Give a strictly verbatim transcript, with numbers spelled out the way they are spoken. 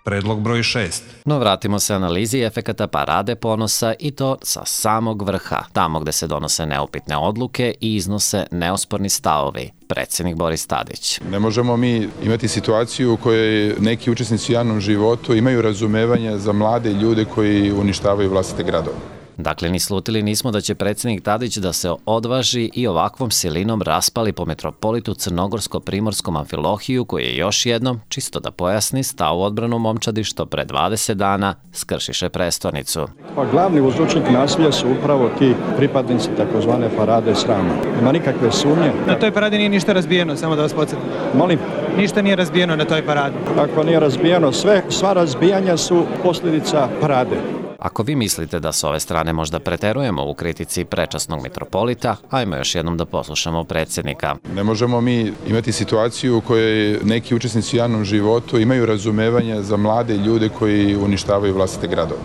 Predlog broj šest. No vratimo se analizi efekata Parade ponosa i to sa samog vrha, tamo gde se donose neupitne odluke i iznose neosporni stavovi. Predsjednik Boris Tadić. Ne možemo mi imati situaciju u kojoj neki učesnici u javnom životu imaju razumevanja za mlade ljude koji uništavaju vlastite gradove. Dakle, ni slutili nismo da će predsjednik Tadić da se odvaži i ovakvom silinom raspali po metropolitu Crnogorsko-Primorskom Amfilohiju, koji je još jednom, čisto da pojasni, stao u odbranu momčadi što pre dvadeset dana skršiše prestonicu. Pa glavni uzročnik nasilja su upravo ti pripadnici takozvane parade srama. Nema nikakve sumnje. Na toj paradi nije ništa razbijeno, samo da vas podsjetim. Molim? Ništa nije razbijeno na toj paradi. Ako nije razbijeno, sve, sva razbijanja su posljedica parade. Ako vi mislite da s ove strane možda preterujemo u kritici prečasnog mitropolita, ajmo još jednom da poslušamo predsjednika. Ne možemo mi imati situaciju u kojoj neki učesnici u javnom životu imaju razumevanja za mlade ljude koji uništavaju vlastite gradove.